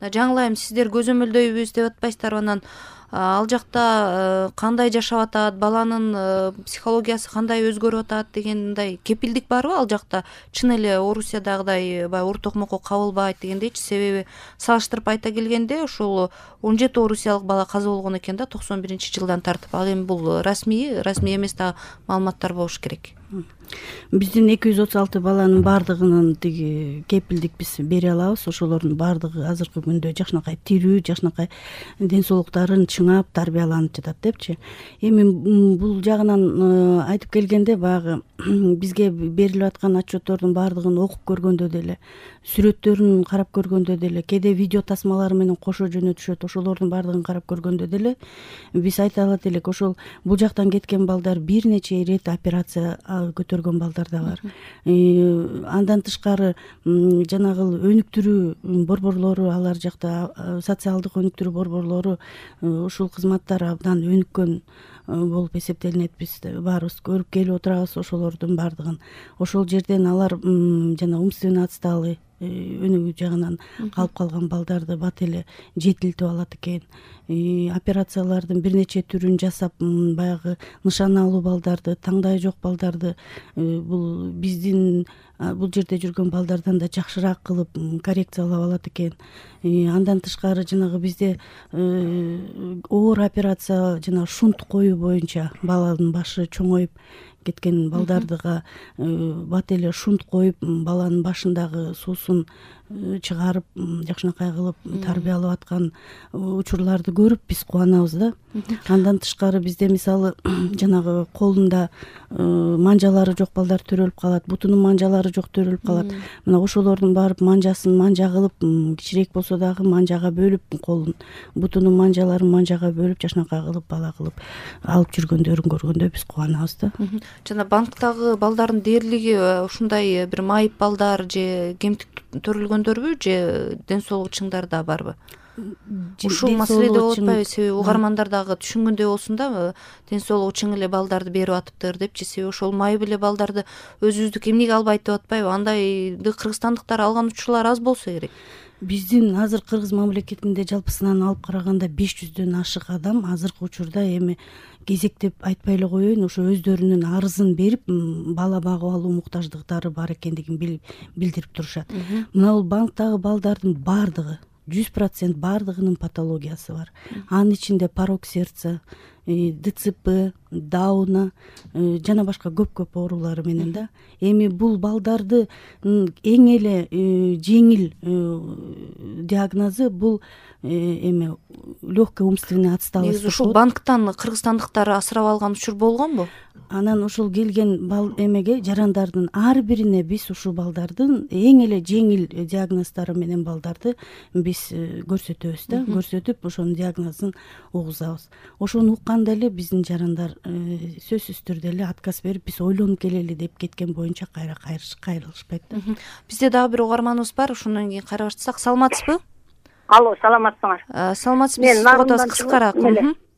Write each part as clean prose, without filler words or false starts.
Жаңылайым, сиздер көзөмөлдөйбүз деп атпайсыздарбы? Анан ал жакта кандай жашап атат, баланын психологиясы кандай өзгөрүп атат дегендей кепилдик барбы ал жакта? Чын эле Орусиядагыдай баягы ур токмокко кабылбайт дегендейчи? Себеби салыштырып айта келгенде ушул 17 орусиялык бала каза болгон экен да 91-жылдан тартып. Ал эми бул расмий эмес дагы маалыматтар болуш керек. Биздин 236 баланын баардыгынын тиги кепилдик биз бере алабыз. Ошолордун баардыгы азыркы күндө жакшынакай тирүү, жакшынакай ден соолуктарын чыңап, тарбияланып жатат депчи. Эми бул жагынан айтып келгенде баягы бизге берилип аткан отчеттордун баардыгын окуп көргөндө деле, сүрөттөрүн карап көргөндө деле, кээде видео тасмалары менен кошо жөнөтүшөт, ошолордун баардыгын карап көргөндө деле биз айта алат элек, ошол бул жактан кеткен балдар бир нече ирет операция көтөргөн балдар да бар. Андан тышкары жанагы өнүктүрүү борборлору, алар жакта социалдык өнүктүрүү борборлору ушул кызматтар абдан өнүккөн болуп эсептелинет. Биз баарыбыз көрүп келип отурабыз ошолордун баардыгын. Ошол жерден алар жана умственно отсталый өнүгүү жагынан калып калган балдарды бат эле жетилтип алат экен. Операциялардын бир нече түрүн жасап, баягы нышаналуу балдарды, таңдайы жок балдарды бул биздин бул жерде жүргөн балдардан да жакшыраак кылып коррекциялап алат экен. Андан тышкары жанагы бизде оор операция, жана шунт коюу боюнча баланын башы чоңоюп кеткен балдардыга бат эле шунт коюп, баланын башындагы суусун чыгарып, жакшынакай кылып тарбиялап аткан учурларды көрүп биз кубанабыз да. Андан тышкары бизде мисалы жанагы колунда манжалары жок балдар төрөлүп калат, бутунун манжалары жок төрөлүп калат. Мына ошолордун барып манжасын манжа кылып, кичирээк болсо дагы манжага бөлүп, колун бутунун манжаларын манжага бөлүп, жакшынакай кылып бала кылып алып жүргөндөрүн көргөндө биз кубанабыз да. Жана банктагы балдардын дээрлиги ушундай бир майып балдар же кемтик төрөлгөндөрбү, же ден соолугу чыңдар да барбы? Ушул маселеде болуп атпайбы? Себеби угармандар дагы түшүнгөндөй болсун да, ден соолугу чың эле балдарды берип атыптыр депчи. Себеби ошол майып эле балдарды өзүбүздүк эмнеге албайт деп атпайбы? Андайды кыргызстандыктар алган учурлар аз болсо керек. Биздин азыр Кыргыз мамлекетинде жалпысынан алып караганда 500дөн ашык адам азыркы учурда эми кезектеп айтпай эле коеюн, ошо өздөрүнүн арызын берип, бала багып алуу муктаждыктары бар экендигин билдирип турушат. Мына бул банктагы балдардын баардыгы 100% баардыгынын патологиясы бар. Анын ичинде порок сердца, ДЦП, Дауна жана башка көп оорулары менен да. Эми бул балдарды эң эле жеңил диагнозу бул эми легкая умственная отсталость. Ушул банктан кыргызстандыктар асырап алган учур болгонбу? Анан ушул келген эмеге жарандардын ар бирине биз ушул балдардын эң эле жеңил диагноздору менен балдарды биз көрсөтөбүз да, көрсөтүп ошонун диагнозун угузабыз. Ошону укканда эле биздин жарандар сөзсүз түрдө эле отказ берип, биз ойлонуп келели деп кеткен боюнча кайрылышпайт да. Бизде дагы бир угарманыбыз бар, ошондон кийин кайра баштасак. Саламатсызбы? Алло, саламатсыңар. Саламатсызбы, соготосуз кыскараак.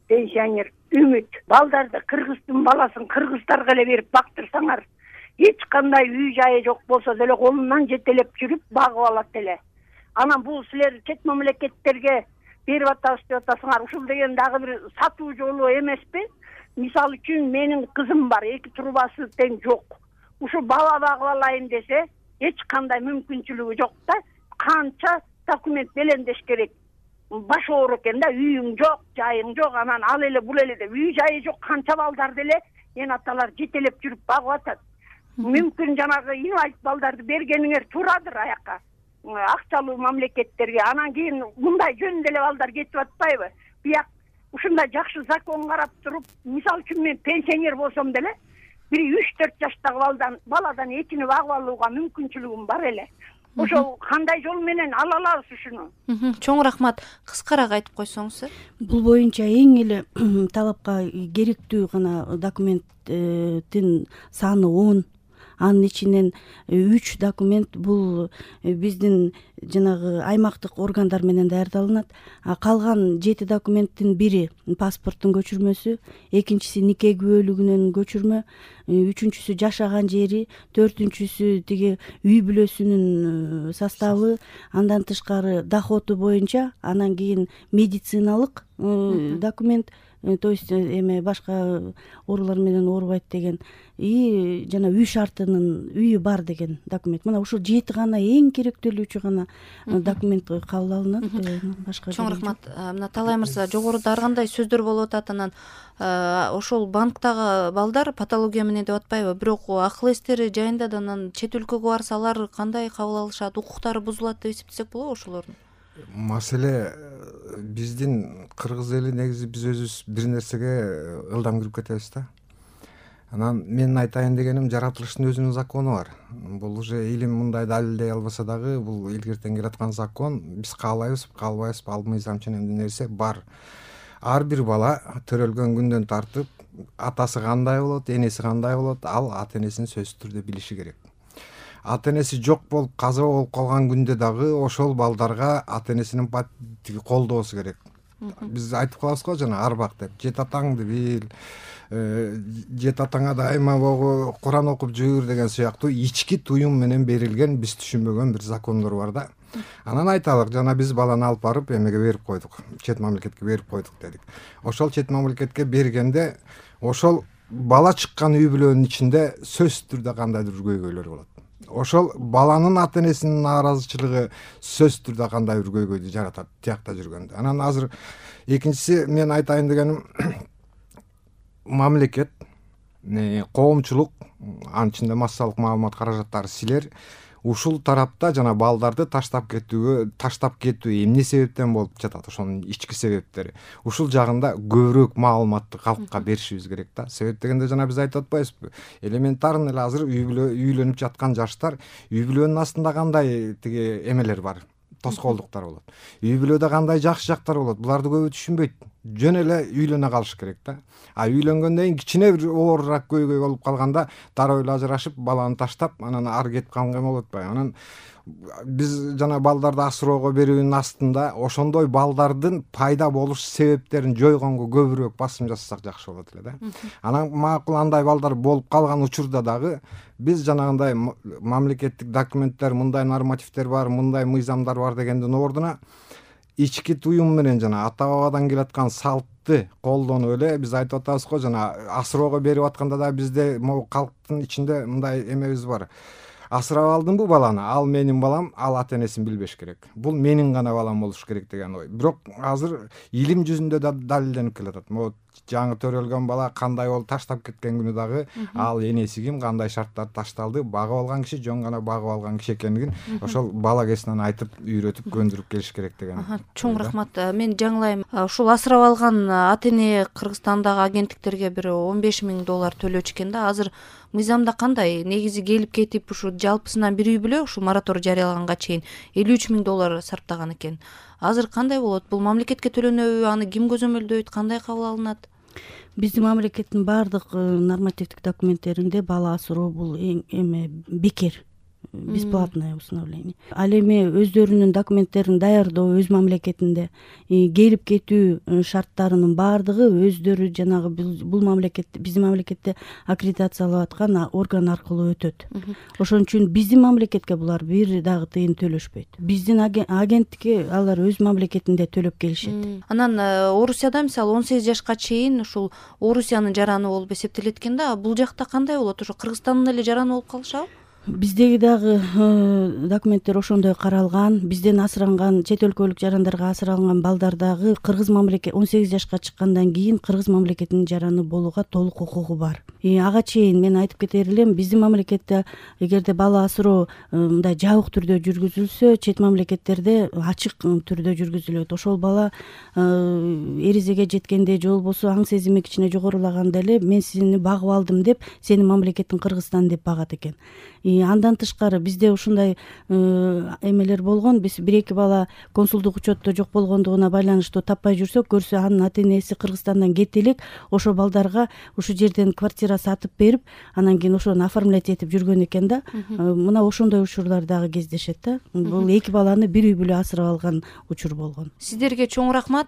Пенсионер Үмүт. Балдарды кыргыздын баласын кыргыздарга эле берип бактырсаңар, эч кандай үй жайы жок болсо деле колунан жетелеп жүрүп багып алат эле. Анан бул силер чет мамлекеттерге берип атабыз деп атасыңар. Ушул деген дагы бир сатуу жолу эмеспи? Мисалы үчүн менин кызым бар, 2 трубасы тең жок. Ушу бала багып алайын десе, эч кандай мүмкүнчүлүгү жок да. Канча документ белендеш керек. Баш оор экен да, үйүң жок, жайың жок, анан ал эле бул эле деп үй жайы жок канча балдар деле эн аталар жетелеп жүрүп багып атат. Мүмкүн жанагы инвалид балдарды бергениңер турадыр аяка, акчалуу мамлекеттерге. Анан кийин мындай жөн деле балдар кетип атпайбы? Бияк ушундай жакшы закон карап туруп, мисалы үчүн мен пенсионер болсом деле, бир 3-4 жаштагы баладан этини багып алууга мүмкүнчүлүгүм бар эле. Ошол кандай жол менен ала алабыз ушуну? Чоң рахмат. Кыскараак айтып койсоңуз. Бул боюнча эң эле талапка керектүү гана документтин саны 10. анын ичинен 3 документ бул биздин жанагы аймактык органдар менен даярдалынат. Калган 7 документтин бири паспорттун көчүрмөсү, экинчиси нике күбөлүгүнөн көчүрмө, үчүнчүсү жашаган жери, төртүнчүсү тиги үй бүлөсүнүн составы, андан тышкары доходу боюнча, анан кийин медициналык документ, то есть эме башка оорулар менен оорубайт деген, и жана үй шартынын үйү бар деген документ. Мына ушул 7 гана эң керектелүүчү гана документ кабыл алынат. Башка чоң рахмат. Мына Талай мырза, жогоруда ар кандай сөздөр болуп атат, анан ошол банктагы балдар патология менен деп атпайбы, бирок акыл эстери жайында да анан чет өлкөгө барса алар кандай кабыл алышат, укуктары бузулат деп эсептесек болобу ошолордун? Маселе биздин кыргыз эли негизи биз өзүбүз бир нерсеге ылдам кирип кетебиз да. Анан менин айтайын дегеним, жаратылыштын өзүнүн закону бар. Бул уже илим мындай далилдей албаса дагы, бул илгертен келаткан закон. Биз каалайбызбы, каалбайбызбы, ал мыйзам ченемдүү нерсе бар. Ар бир бала төрөлгөн күндөн тартып атасы кандай болот, энеси кандай болот, ал ата энесин сөзсүз түрдө билиши керек. Ата энеси жок болуп каза болуп калган күндө дагы ошол балдарга ата энесинин колдоосу керек. Биз айтып калабыз го жана арбак деп, жет атаңды бил, жет атаңа дайыма богу, Куран окуп жүр деген сыяктуу ички туюм менен берилген биз түшүнбөгөн бир закондор бар да. Анан айталык, жана биз баланы алып барып эмеге берип койдук, чет мамлекетке берип койдук дедик. Ошол чет мамлекетке бергенде ошол бала чыккан үй бүлөнүн ичинде сөзсүз түрдө кандайдыр көйгөйлөр болот. Ошол баланын ата энесинин нааразычылыгы сөзсүз түрдө кандай бир көйгөйдү жаратат тиякта жүргөндө. Анан азыр экинчиси мен айтайын дегеним, мамлекет, коомчулук, анын ичинде массалык маалымат каражаттары, силер ушул тарапта жана балдарды таштап кетүү эмне себептен болуп жатат, ошонун ички себептери, ушул жагында көбүрөөк маалыматты калкка беришибиз керек да. Себеп дегенде жана биз айтып атпайбызбы, элементарный эле азыр үйлөнүп жаткан жаштар, үй бүлөнүн астында кандай тиги эмелер бар, тоскоолдуктар болот, үй бүлөдө кандай жакшы жактар болот, буларды көбү түшүнбөйт. Жөн эле үйлөнө калыш керек да. Үйлөнгөндөн кийин кичине бир оорураак көйгөй болуп калганда дароо эле ажырашып, баланы таштап, анан ары кетип калганга болот атпайбы. Анан биз жана балдарды асыроого берүүнүн астында ошондой балдардын пайда болуш себептерин жойгонго көбүрөөк басым жасасак жакшы болот эле да. Анан макул андай балдар болуп калган учурда дагы биз жанагындай мамлекеттик документтер, мындай нормативдер бар, мындай мыйзамдар бар дегендин ордуна ички туюм менен жана ата бабадан келаткан салтты колдонуп эле биз айтып атабыз го, жана асыроого берип атканда да бизде могу калктын ичинде мындай эмебиз бар. Асырап алдымбы баланы, ал менин балам, ал ата энесин билбеш керек. Бул менин гана балам болуш керек деген ой. Бирок азыр илим жүзүндө да далилденип келатат. Могу жаңы төрөлгөн бала кандай болуп таштап кеткен күнү дагы ал энеси ким, кандай шарттарда ташталды, багып алган киши жөн гана багып алган киши экендигин ошол бала кезинен айтып, үйрөтүп, көндүрүп келиш керек деген. Чоң рахмат. Мен жаңылайм, ушул асырап алган ата эне Кыргызстандагы агенттиктерге бир $15,000 төлөчү экен да. Азыр мыйзамда кандай? Негизи келип кетип ушу жалпысынан бир үй бүлө ушул мораторий жарыялаганга чейин $53,000 сарптаган экен. Азыр кандай болот? Бул мамлекетке төлөнөбү, аны ким көзөмөлдөйт, кандай кабыл алынат? Биздин мамлекеттин баардык нормативдик документтеринде бала асыроо бул эме бекер, бесплатное установление. Ал эми өздөрүнүн документтерин даярдоо өз мамлекетинде келип кетүү шарттарынын баардыгы өздөрү жанагы бул мамлекетте, биздин мамлекетте аккредитациялап аткан орган аркылуу өтөт. Ошон үчүн биздин мамлекетке булар бир дагы тыйын төлөшпөйт. Биздин агенттикке алар өз мамлекетинде төлөп келишет. Анан Орусияда мисалы 18 жашка чейин ушул Орусиянын жараны болуп эсептелет экен да. Бул жакта кандай болот? Ошо Кыргызстандын эле жараны болуп калышабы? Биздеги дагы документтер ошондой каралган. Бизден асыранган, чет өлкөлүк жарандарга асыралган балдар дагы Кыргыз мамлекет 18 жашка чыккандан кийин Кыргыз мамлекетинин жараны болууга толук укугу бар. Ага чейин мен айтып кетер элем, биздин мамлекетте эгерде бала асыроо мындай жабык түрдө жүргүзүлсө, чет мамлекеттерде ачык түрдө жүргүзүлөт. Ошол бала эризеге жеткенде же болбосо аң сезими кичине жогорулаганда эле мен сени багып алдым деп, сенин мамлекетиң Кыргызстан деп багат экен. Андан тышкары бизде ушундай эмелер болгон. Биз 1-2 бала консулдук учетто жок болгондугуна байланыштуу таппай жүрсөк, көрсө анын ата энеси Кыргызстандан кете элек, ошо балдарга ушу жерден квартира сатып берип, анан кийин ошону оформлять этип жүргөн экен да. Мына ошондой учурлар дагы кездешет да. Бул 2 баланы бир үй бүлө асырап алган учур болгон. Сиздерге чоң рахмат.